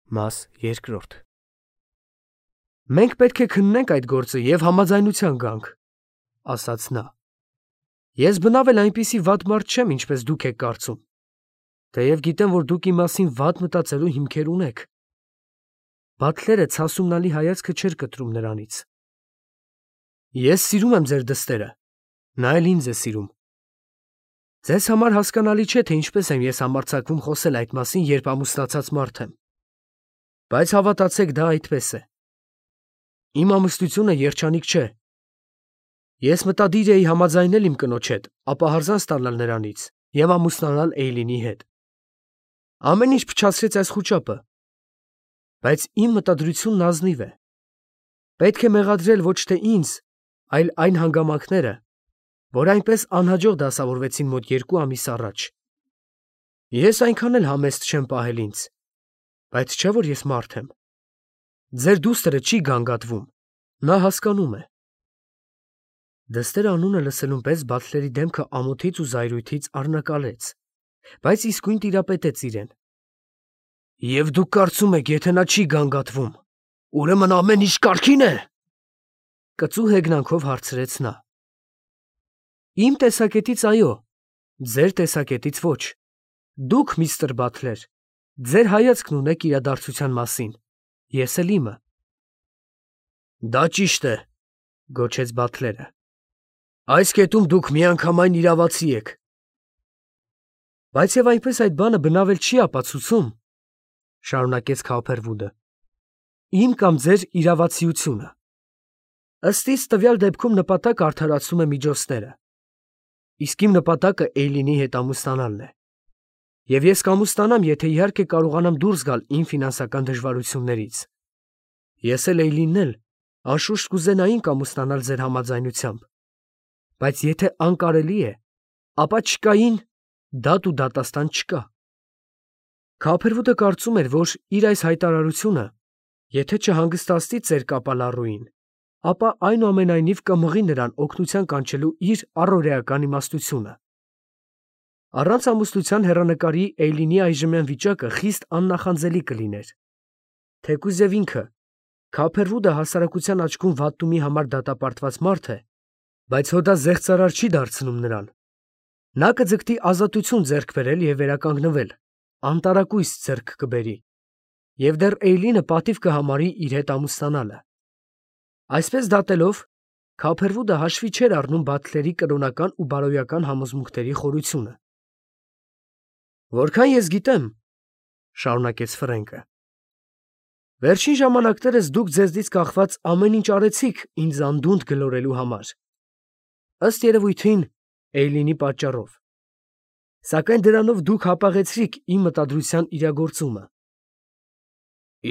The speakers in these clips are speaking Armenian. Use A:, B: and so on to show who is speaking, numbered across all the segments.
A: Մաս երկրորդ Մենք պետք է քննենք այդ գործը և համաձայնության գանք, ասաց նա. ես բնավ էլ այնպիսի վատ մարդ չեմ, ինչպես դուք եք կարծում, թեև գիտեմ, որ դուք իմ մասին վատ մտածելու հիմքեր ունեք։ Բաթլերը ցասումնալի հայացքը չէր կտրում նրանից։ Ես սիրում եմ ձեր դստերը, նա էլ ինձ է սիրում։ Ձեզ համար հասկանալի չէ, թե ինչպես եմ ես համարձակվում խոսել այդ մասին, երբ ամուսնացած մարդ եմ։ Բայց հավատացեք, դա այդպես է։ Իմ ամուսնությունը երջանիկ չէ։ Ես մտադիր էի համաձայնել իմ կնոջ հետ, ապահարզան ստանալ նրանից և ամուսնանալ Էյլինի հետ։ Ամեն ինչ փչացրեց այս խուճապը։ Բայց իմ մտադրությունն ազնիվ է։ Պետք է մեղադրել ոչ թե ինձ, այլ այն հանգամանքները, որ այնպես անհաջող դասավորվեցին մոտ 2 ամիս առաջ։ Ես այնքան էլ համեստ չեմ պահել ինձ, բայց չէ՞ որ ես մարդ եմ։ Ձեր դուստրը չի գանգատվում, նա հասկանում է։ Դստեր անունը լսելուն պես Բաթլերի դեմքը ամոթից ու զայրույթից առնակալեց, բայց իսկույն տիրապետեց իրեն։ Եվ դուք կարծում եք, եթե նա չի գանգատվում, ուրեմն ամեն ինչ կարգին է։ Կծու հեգնանքով հարցրեց նա։ Իմ տեսակետից այո, ձեր տեսակետից ոչ։ Դուք, միստր Բաթլեր, ձեր հայացքն ունեք իրադարձության մասին, ես էլ իմը։ Դա ճիշտ է, գոչեց Բաթլերը։ Այս կետում դուք միանգամայն իրավացի եք։ Բայց եւ այնպես այդ բանը բնավ էլ չի ապացուցում, շարունակեց Քոփերվուդը, իմ կամ ձեր իրավացիությունը։ Ըստ իս տվյալ դեպքում նպատակ արդարացում է միջոցները։ Իսկ իմ նպատակը Էյլինի հետ ամուսնանալն է։ Եվ ես կամուսնանամ, եթե իհարկե կարողանամ դուրս գալ իմ ֆինանսական դժվարություններից։ Ես էլ Էյլինն էլ անշուշտ կուզենայինք ամուսնանալ ձեր համաձայնությամբ։ Բայց եթե անկարելի է, ապա չկային դատ ու դատաստան չկա։ Քոփերվուդը կարծում էր, որ իր այս հայտարարությունը, եթե չհանգստացնի ծեր կապալառուին, ապա այնուամենայնիվ կմղի նրան օգնության կանչելու իր առօրեական իմաստությունը։ Առանց ամուսնության հեռանկարի Էյլինի այժմյան վիճակը խիստ աննախանձելի կլիներ։ Թեկուզ և ինքը, Քոփերվուդը հասարակության աչքում վատտումի համար դատապարտված մարդ է, բայց հո դա զեղծարար չի դարձնում նրան։ Նա կձգտի ազատություն ձեռք բերել և վերականգնվել, անտարակույս ձեռք կբերի, և դեռ Էյլինը պատիվ կհամարի իր հետ ամուսնանալը։ Այսպես դատելով, Քոփերվուդը հաշվի չէր առնում Բաթլերի կրոնական ու բարոյական համոզմունքների խորությունը։ Որքան ես գիտեմ, շարունակեց Ֆրենկը, վերջին ժամանակներս դուք ձեզնից կախված ամեն ինչ արեցիք ինձ անդունդը գլորելու համար։ Ըստ երևույթին, Էյլինի պատճառով։ Սակայն դրանով դուք հապաղեցրիք իմ մտադրության իրագործումը։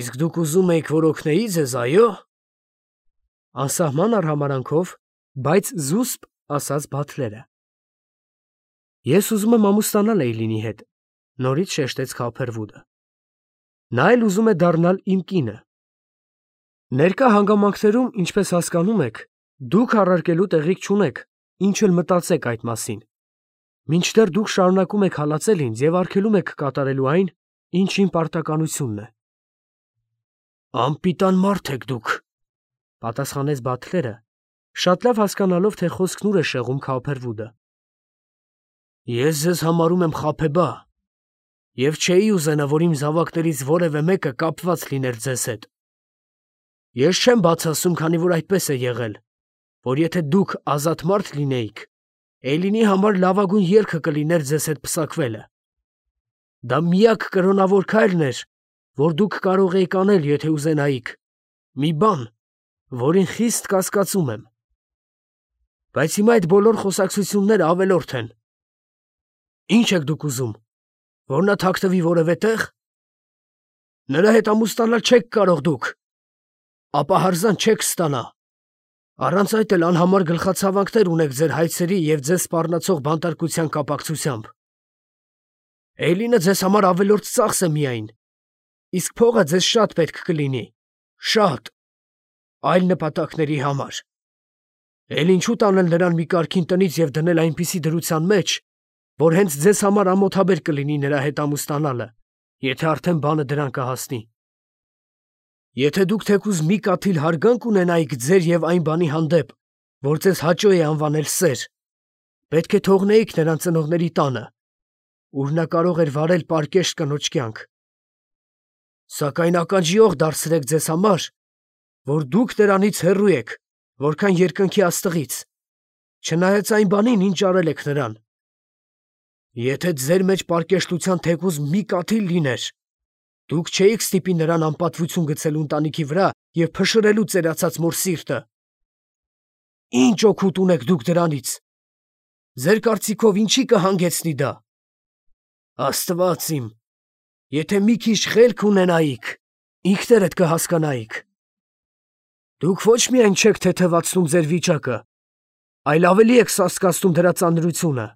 A: Իսկ դուք ուզում էիք, որ օգնեի ձեզ, այո՞։ Անսահման արհամարանքով, բայց զուսպ ասաց Բաթլերը։ Ես ուզում եմ ամուսնանալ Էյլինի հետ, նորից շեշտեց Քոփերվուդը։ Նա էլ ուզում է դառնալ իմ կինը։ Ներկա հանգամանքներում, ինչպես հասկանում եք, դուք առարկելու տեղիք չունեք, ինչ էլ մտածեք այդ մասին, մինչդեռ դուք շարունակում եք հալածել ինձ և արգելում եք կատարելու այն, ինչ իմ պարտականությունն է։ Անպիտան մարդ եք դուք, պատասխանեց Բաթլերը, շատ լավ հասկանալով, թե խոսքն ուր է շեղում Քոփերվուդը։ Ես ձեզ համարում եմ խաբեբա, և չէի ուզենա, որ իմ զավակներից որևէ մեկը կապված լիներ ձեզ հետ։ Ես չեմ բաց ասում, քանի որ այդպես է եղել, որ եթե դուք ազատ մարդ լինեիք, Էյլինի համար լավագույն ելքը կլիներ ձեզ հետ պսակվելը։ Դա միակ կրոնավոր քայլն էր, որ դուք կարող էիք անել, եթե ուզենայիք, մի բան, որին խիստ կասկածում եմ։ Բայց հիմա այդ բոլոր խոսակցությունները ավելորդ են։ Ինչ եք դուք ուզում, որ նա թաքնվի որևէ տեղ։ Նրա հետ ամուսնանալ չեք կարող դուք, ապահարզան չեք ստանա։ Առանց այդ էլ անհամար գլխացավանքներ ունեք ձեր հայցերի և ձեզ սպառնացող բանտարկության կապակցությամբ։ Էյլինը ձեզ համար ավելորդ ծախս է միայն, իսկ փողը ձեզ շատ պետք կլինի, շատ, այլ նպատակների համար։ Էլ ինչու տանել նրան մի կարգին տնից և դնել այնպիսի դրության մեջ, որ հենց ձեզ համար ամոթաբեր կլինի նրա հետ ամուսնանալը, եթե արդեն բանը դրան կհասնի։ Եթե դուք թեկուզ մի կաթիլ հարգանք ունենայիք ձեր եւ այն բանի հանդեպ, որ ձեզ հաճո է անվանել սեր, պետք է թողնեիք նրան ծնողների տանը, ուր նա կարող էր վարել պարկեշտ կնոջ կյանք։ Սակայն ականջիող դարձրեք ձեզ համար, որ դուք նրանից հեռու եք, որքան երկնքի աստղից, չնայած այն բանին, ինչ արել եք նրան։ Եթե ձեր մեջ պարկեշտության թեկուզ մի կաթիլ լիներ, դուք չէիք ստիպի նրան անպատվություն գցելու ընտանիքի վրա և փշրելու ծերացած մոր սիրտը։ Ինչ օգուտ ունեք դուք դրանից։ Ձեր կարծիքով ինչի կհանգեցնի դա։ Աստված իմ, եթե մի քիչ խելք ունենայիք, ինքներդ կհասկանայիք։ Դուք ոչ միայն չեք թեթևացնում ձեր վիճակը, այլ ավելի եք սաստկացնում դրա ծանրությունը։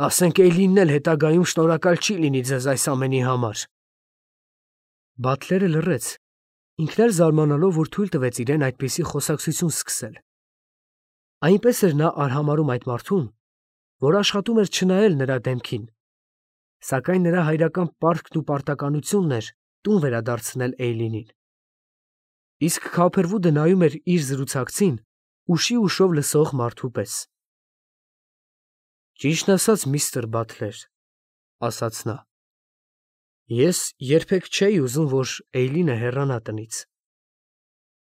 A: Ասենք Էյլինն էլ հետագայում շնորհակալ չի լինի ձեզ այս ամենի համար։ Բատլերը լռեց, ինքն էլ զարմանալով, որ թույլ տվեց իրեն այդպիսի խոսակցություն սկսել։ Այնպես էր նա արհամարհում այդ մարդուն, որ աշխատում էր չնայել նրա դեմքին, սակայն նրա հայրական պարտքն ու պարտականությունն էր տուն վերադարձնել Էյլինին։ Իսկ Քոփերվուդը նայում էր իր զրուցակցին ուշի ուշով լսող մարդու պես։ Ճիշտն ասած, միստր Բատլեր, ասաց նա, ես երբեք չէի ուզում, որ Էյլինը հեռանա տնից։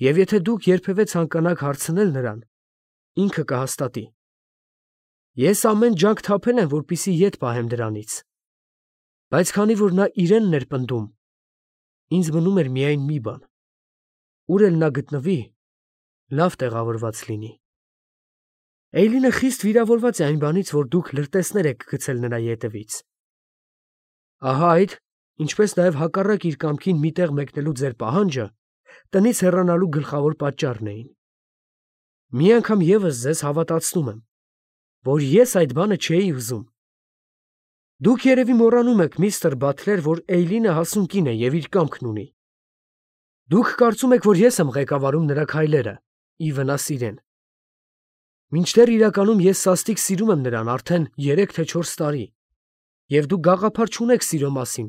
A: Եվ եթե դուք երբևէ ցանկանաք հարցնել նրան, ինքը կհաստատի։ Ես ամեն ջանք թափել եմ, որպեսզի ետ պահեմ դրանից։ Բայց քանի որ նա իրենն էր պնդում, ինձ մնում էր միայն մի բան. ուր էլ նա գտնվի, լավ տեղավորված լինի։ Էյլինը խիստ վիրավորված է այն բանից, որ դուք լրտեսներ եք գցել նրա ետևից։ Ահա այդ, ինչպես նաև հակառակ իր կամքին մի տեղ մեկնելու ձեր պահանջը տնից հեռանալու գլխավոր պատճառն էին։ Մի անգամ ևս ձեզ հավատացնում եմ, որ ես այդ բանը չէի ուզում։ Դուք երևի մոռանում եք, միստր Բատլեր, որ Էյլինը հասուն կին է և իր կամքն ունի։ Դուք կարծում եք, որ ես եմ ղեկավարում նրա քայլերը, ի վնաս իրեն։ Մինչդեռ իրականում ես սաստիկ սիրում եմ նրան արդեն 3 թե 4 տարի, և դուք գաղափար չունեք սիրո մասին,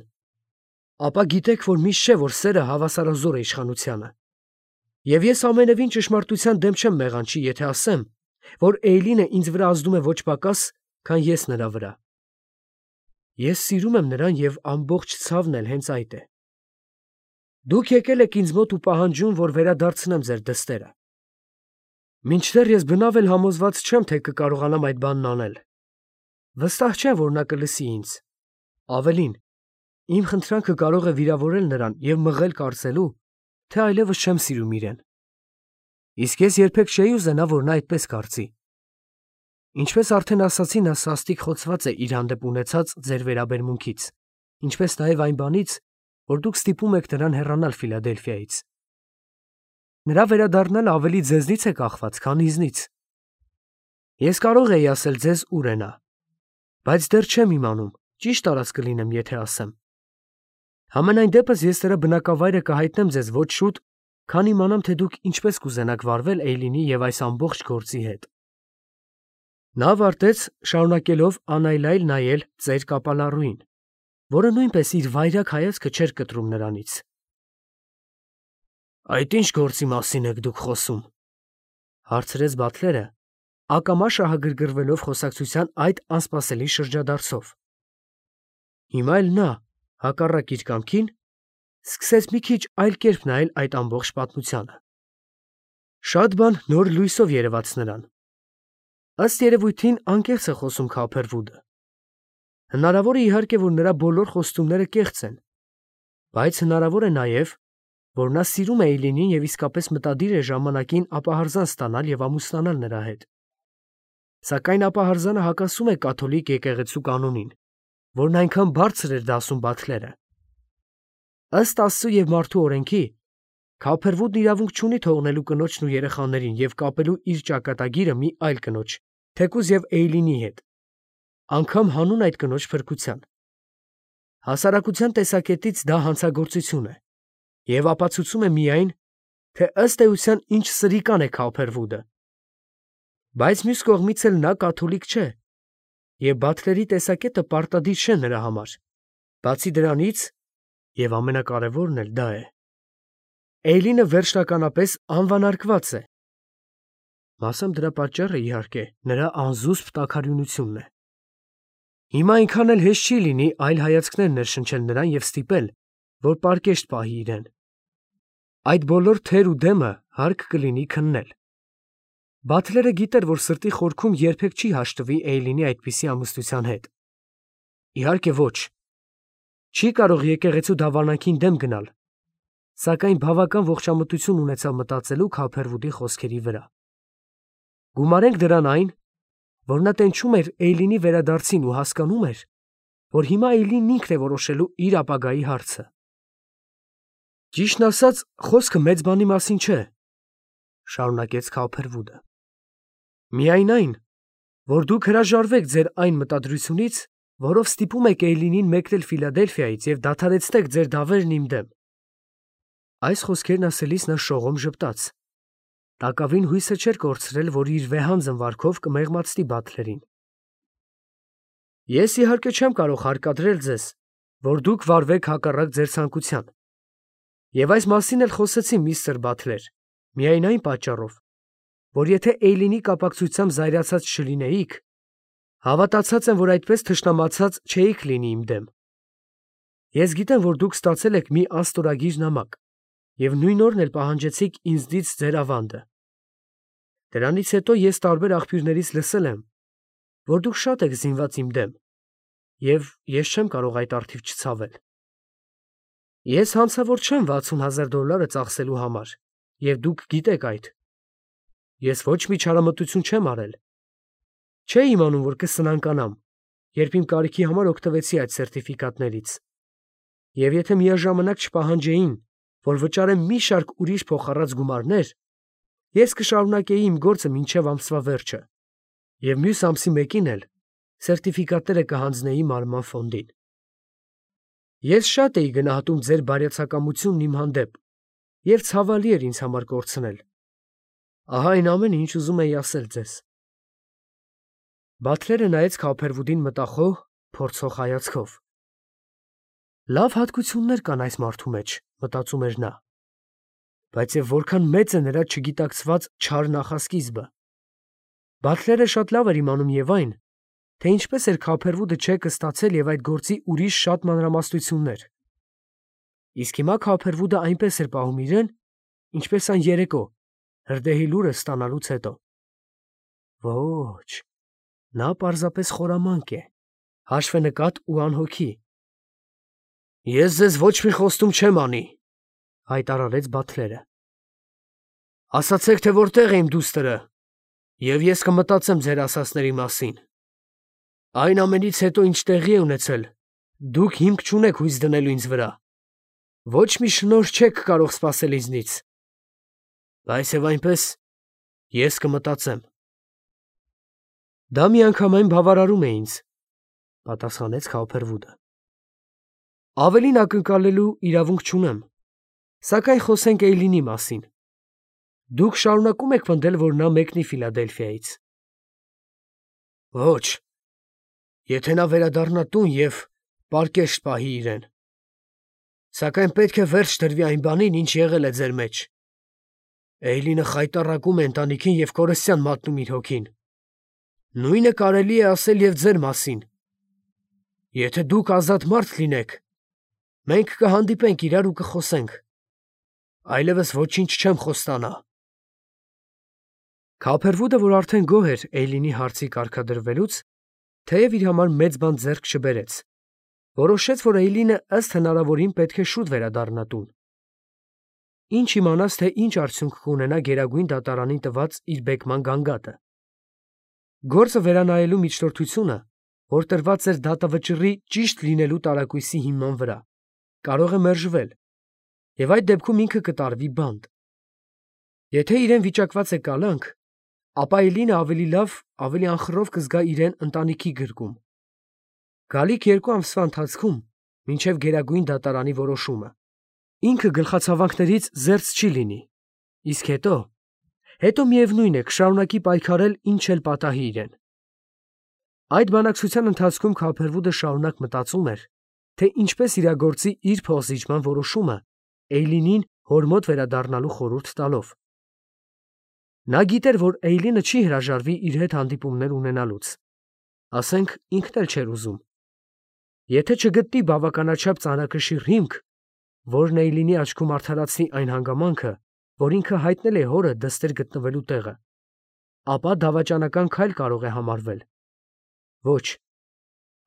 A: ապա գիտեք, որ միշտ չէ, որ սերը հավասարազոր է իշխանությանը։ Եվ ես ամենևին ճշմարտության դեմ չեմ մեղանչի, եթե ասեմ, որ Էյլինը ինձ վրա ազդում է ոչ պակաս, քան ես նրա վրա։ Ես սիրում եմ նրան և ամբողջ ցավն էլ հենց այդ է։ Դուք եկել եք ինձ մոտ ու պահանջում, որ վերադարձնեմ ձեր դստերը։ Մինչդեռ ես բնավ էլ համոզված չեմ, թե կկարողանամ այդ բանն անել։ Վստահ չեմ, որ նա կլսի ինձ։ Ավելին, իմ խնդրանքը կարող է վիրավորել նրան և մղել կարծելու, թե այլևս չեմ սիրում իրեն։ Իսկ ես երբեք չէի ուզենա, որ նա այդպես կարծի։ Ինչպես արդեն ասացի, նա սաստիկ խոցված է իր հանդեպ ունեցած ձեր վերաբերմունքից, ինչպես նաև այն բանից, որ դուք ստիպում եք նրան հեռանալ Ֆիլադելֆիայից։ Նրա վերադառնալը ավելի ձեզնից է կախված, քան ինձնից։ Ես կարող էի ասել ձեզ ուր է նա, բայց դեռ չեմ իմանում, ճիշտ արած կլինեմ, եթե ասեմ։ Համենայն դեպս ես նրա բնակավայրը կհայտնեմ ձեզ ոչ շուտ, քան իմանամ, թե դուք ինչպես կուզենաք վարվել Էյլինի և այս ամբողջ գործի հետ։ Նա ավարտեց, շարունակելով անայլայլ նայել ծեր կապալառուին, որը նույնպես իր վայրագ հայացքը չէր կտրում նրանից։ Այդ ինչ գործի մասին եք դուք խոսում, հարցրեց Բատլերը, ակամա շահագրգռվելով խոսակցության այդ անսպասելի շրջադարձով։ Հիմա էլ նա, հակառակ իր կամքին, սկսեց մի քիչ այլ կերպ նայել այդ ամբողջ պատմությանը։ Շատ բան նոր լույսով երևաց նրան։ Ըստ երևույթին անկեղծ է խոսում Քոփերվուդը։ Հնարավոր է իհարկե, որ նրա բոլոր խոստումները կեղծ են, բայց հնարավոր է նաև, որ նա սիրում է Էյլինին և իսկապես մտադիր է ժամանակին ապահարզան ստանալ և ամուսնանալ նրա հետ։ Սակայն ապահարզանը հակասում է կաթոլիկ եկեղեցու կանոնին, որն այնքան բարձր էր դասում Բատլերը։ Ըստ Աստծու և մարդու օրենքի, Քոփերվուդն իրավունք չունի թողնելու կնոջն ու երեխաներին և կապելու իր ճակատագիրը մի այլ կնոջ, թեկուզ և Էյլինի հետ, անգամ հանուն այդ կնոջ փրկության։ Հասարակության տեսակետից դա հանցագործություն է և ապացուցում է միայն, թե ըստ էության ինչ սրիկան է Քոփերվուդը։ Բայց մյուս կողմից էլ նա կաթոլիկ չէ, և Բատլերի տեսակետը պարտադիր չէ նրա համար։ Բացի դրանից, և ամենակարևորն էլ դա է, Էյլինը վերջնականապես անվանարկված է։ Մասամբ դրա պատճառը, իհարկե, նրա անզուսպ տաքարյունությունն է։ Հիմա այնքան էլ հեշտ չի լինի այլ հայացքներ ներշնչել նրան և ստիպել, որ պարկեշտ պահի իրեն։ Այդ բոլոր թեր ու դեմը հարկ կլինի քննել։ Բաթլերը գիտեր, որ սրտի խորքում երբեք չի հաշտվի Էյլինի այդպիսի ամուսնության հետ։ Իհարկե ոչ։ Չի կարող եկեղեցու դավանանքին դեմ գնալ, սակայն բավական ողջամտություն ունեցավ մտածելու Քոփերվուդի խոսքերի վրա։ Գումարենք դրան այն, որ նա տենչում էր Էյլինի վերադարձին ու հասկանում էր, որ հիմա Էյլինն ինքն է որոշելու իր ապագայի հարցը։ Ճիշտն ասած, խոսքը մեծ բանի մասին չէ, շարունակեց Քոփերվուդը։ Միայն այն, որ դուք հրաժարվեք ձեր այն մտադրությունից, որով ստիպում եք Էյլինին մեկնել Ֆիլադելֆիայից և դադարեցնեք ձեր դավերն իմ դեմ։ Այս խոսքերն ասելիս նա շողոմ ժպտաց։ Տակավին հույսը չէր կորցրել, որ իր վեհանձն վարքով կմեղմացնի Բաթլերին։ Ես իհարկե չեմ կարող հարկադրել ձեզ, որ դուք վարվեք հակառակ ձեր ցանկության։ Եվ այս մասին էլ խոսեցի միստր Բաթլեր, միայն այն պատճառով, որ եթե Էյլինի կապակցությամբ զայրացած չլինեիք, հավատացած եմ, որ այդպես թշնամացած չէիք լինի իմ դեմ։ Ես գիտեմ, որ դուք ստացել եք մի անստորագիր նամակ և նույն օրն էլ պահանջեցիք ինձնից ձեր ավանդը։ Դրանից հետո ես տարբեր աղբյուրներից լսել եմ, որ դուք շատ եք զինված իմ դեմ, և ես չեմ կարող այդ առթիվ չցավել։ Ես հանցավոր չեմ $60,000 ծախսելու համար, և դուք գիտեք այդ։ Ես ոչ մի չարամտություն չեմ արել։ Չէի իմանում, որ կսնանկանամ, երբ իմ կարիքի համար օգտվեցի այդ սերտիֆիկատներից։ Եվ եթե միաժամանակ չպահանջեին, որ վճարեմ մի շարք ուրիշ փոխառած գումարներ, ես կշարունակեի իմ գործը մինչև ամսվա վերջը, և մյուս ամսի մեկին էլ սերտիֆիկատները կհանձնեի մարման ֆոնդին։ Ես շատ էի գնահատում ձեր բարյացակամությունն իմ հանդեպ, և ցավալի էր ինձ համար կորցնել։ Ահա այն ամենը, ինչ ուզում էի ասել ձեզ։ Բաթլերը նայեց Քոփերվուդին մտախոհ, փորձող հայացքով։ Լավ հատկություններ կան այս մարդու մեջ, մտածում էր նա, բայց և որքան մեծ է նրա չգիտակցված չար նախասկիզբը։ Բաթլերը շատ լավ էր իմանում և այն, թե ինչպես էր Քոփերվուդը չեկը ստացել և այդ գործի ուրիշ շատ մանրամասնություններ։ Իսկ հիմա Քոփերվուդը այնպես էր պահում իրեն, ինչպես այն երեկո, հրդեհի լուրը ստանալուց հետո։ Ոչ, նա պարզապես խորամանկ է, հաշվենկատ ու անհոգի։ Ես ձեզ ոչ մի խոստում չեմ անի, հայտարարեց Բաթլերը։ Ասացեք, թե որտեղ է իմ դուստրը, և ես կմտածեմ ձեր ասածների մասին։ Այն ամենից հետո, ինչ տեղի է ունեցել, դուք հիմք չունեք հույս դնելու ինձ վրա։ Ոչ մի շնորհ չեք կարող սպասել ինձնից։ Բայց և այնպես, ես կմտածեմ։ Դա միանգամայն բավարարում է ինձ, պատասխանեց Քոփերվուդը։ Ավելին ակնկալելու իրավունք չունեմ, սակայն խոսենք Էյլինի մասին։ Դուք շարունակում եք պնդել, որ նա մեկնի Ֆիլադելֆիայից։ Ոչ, եթե նա վերադառնա տուն և պարկեշտ պահի իրեն։ Սակայն պետք է վերջ դրվի այն բանին, ինչ եղել է ձեր մեջ։ Էյլինը խայտառակում է ընտանիքին և կորստյան մատնում իր հոգին։ Նույնը կարելի է ասել և ձեր մասին։ Եթե դուք ազատ մարդ լինեք, մենք կհանդիպենք իրար ու կխոսենք։ Այլևս ոչինչ չեմ խոստանա։ Քոփերվուդը, որ արդեն գոհ էր Էյլինի հարցի կարգադրվելուց, թեև իր համար մեծ բան ձեռք չբերեց, որոշեց, որ Էյլինը ըստ հնարավորին պետք է շուտ վերադառնա տուն։ Ինչ իմանաս, թե ինչ արդյունք կունենա Գերագույն դատարանին տված իր բեկման գանգատը։ Գործը վերանայելու միջնորդությունը, որ տրված էր դատավճռի ճիշտ լինելու տարակույսի հիման վրա, կարող է մերժվել, և այդ դեպքում ինքը կտարվի բանտ։ Եթե իրեն վիճակված է կալանք, ապա Էյլինը ավելի լավ, ավելի անխռով կզգա իրեն ընտանիքի գրկում։ Գալիք 2 ամսվա ընթացքում, մինչև Գերագույն դատարանի որոշումը, ինքը գլխացավանքներից զերծ չի լինի, իսկ հետո միևնույն է, կշարունակի պայքարել, ինչ էլ պատահի իրեն։ Այդ բանակցության ընթացքում Քոփերվուդը շարունակ մտածում էր, թե ինչպես իրագործի իր փոխզիջման որոշումը Էյլինին հոր մոտ վերադառնալու խորհուրդ տալով։ Նա գիտեր, որ Էյլինը չի հրաժարվի իր հետ հանդիպումներ ունենալուց։ Ասենք, ինքն էլ չէր ուզում։ Եթե չգտնի բավականաչափ ծանրակշիռ հիմք, որն Էյլինի աչքում արդարացնի այն հանգամանքը, որ ինքը հայտնել է հորը դստեր գտնվելու տեղը, ապա դավաճանական քայլ կարող է համարվել։ Ոչ,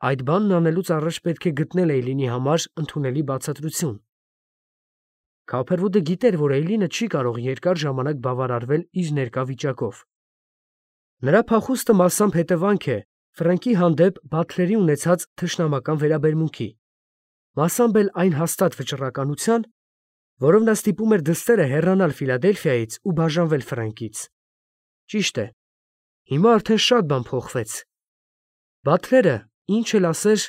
A: այդ բանն անելուց առաջ պետք է գտնել Էյլինի համար ընդունելի բացատրություն։ Քափերվուդը գիտեր, որ Էյլինը չի կարող երկար ժամանակ բավարարվել իր ներկա վիճակով։ Նրա փախուստը մասամբ հետևանք է Ֆրանկի հանդեպ Բաթլերի ունեցած թշնամական վերաբերմունքի, մասամբ էլ այն հաստատ վճռականության, որով նա ստիպում էր դստերը հեռանալ Ֆիլադելֆիայից ու բաժանվել Ֆրանկից։ Ճիշտ է, հիմա արդեն շատ բան փոխվեց։ Բաթլերը, ինչ էլ ասեր,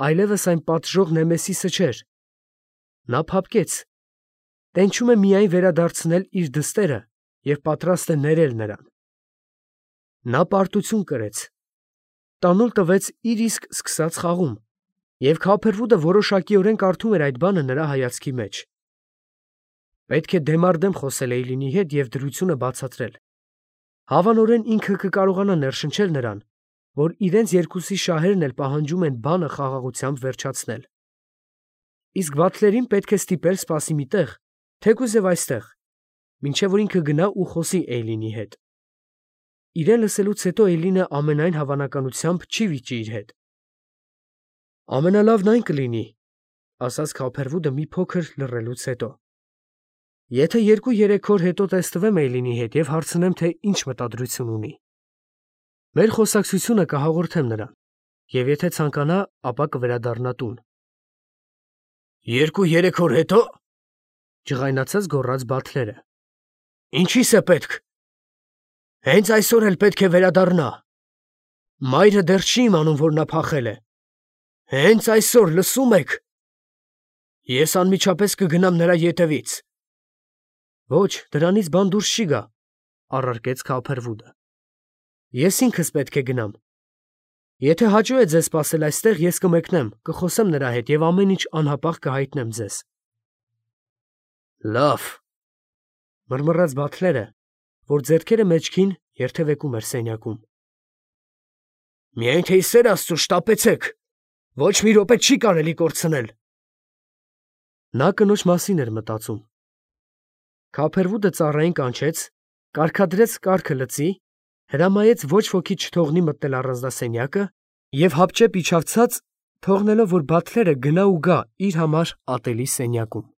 A: այլևս այն պատժող Նեմեսիսը չէր։ Նա փափկեց, տենչում է միայն վերադարձնել իր դստերը և պատրաստ է ներել նրան։ Նա պարտություն կրեց, տանուլ տվեց իր իսկ սկսած խաղում, և Քափերվուդը որոշակիորեն կարդում էր այդ բանը նրա հայացքի մեջ։ Պետք է դեմառդեմ խոսել Էյլինի հետ և դրությունը բացատրել։ Հավանորեն ինքը կկարողանա ներշնչել նրան, որ իրենց երկուսի շահերն էլ պահանջում են բանը խաղաղությամբ վերջացնել։ Իսկ Բաթլերին պետք է ստիպել սպասի մի տեղ, թեկուզև այստեղ, մինչև որ ինքը գնա ու խոսի Էյլինի հետ։ Իրեն լսելուց հետո Էյլինը ամենայն հավանականությամբ չի վիճի իր հետ։ Ամենալավն այն կլինի, ասաց Քափերվուդը մի փոքր լռելուց հետո, եթե 2-3 օր հետո տեսնվեմ Էյլինի հետ և հարցնեմ, թե ինչ մտադրություն ունի։ Մեր խոսակցությունը կհաղորդեմ նրան, և եթե ցանկանա, ապա կվերադառնա տուն։ 2-3 օր հետո, ջղայնացած գոռաց Բաթլերը։ Ինչի՞ս է պետք։ Հենց այսօր էլ պետք է վերադառնա։ Մայրը դեռ չի իմանում, որ նա փախել է։ Հենց այսօր, լսում եք։ Ես անմիջապես կգնամ նրա ետևից։ Ոչ, դրանից բան դուրս չի գա, առարկեց Քափերվուդը։ Ես ինքս պետք է գնամ։ Եթե հաճո է ձեզ սպասել այստեղ, ես կմեկնեմ, կխոսեմ նրա հետ և ամեն ինչ անհապաղ կհայտնեմ ձեզ։ Լավ, մռմռաց Բաթլերը, որ ձեռքերը մեջքին երթևեկում էր սենյակում։ Միայն թե ի սեր Աստծո շտապեցեք, ոչ մի րոպե չի կարելի կորցնել։ Նա կնոջ մասին էր մտածում։ Քափերվուդը ծառային կանչեց, կարգադրեց կարգը լծի, հրամայեց ոչ ոքի չթողնի մտնել առանձնասենյակը և հապճեպ իջավցած, թողնելով, որ Բաթլերը գնա ու գա իր համար ատելի սենյակում։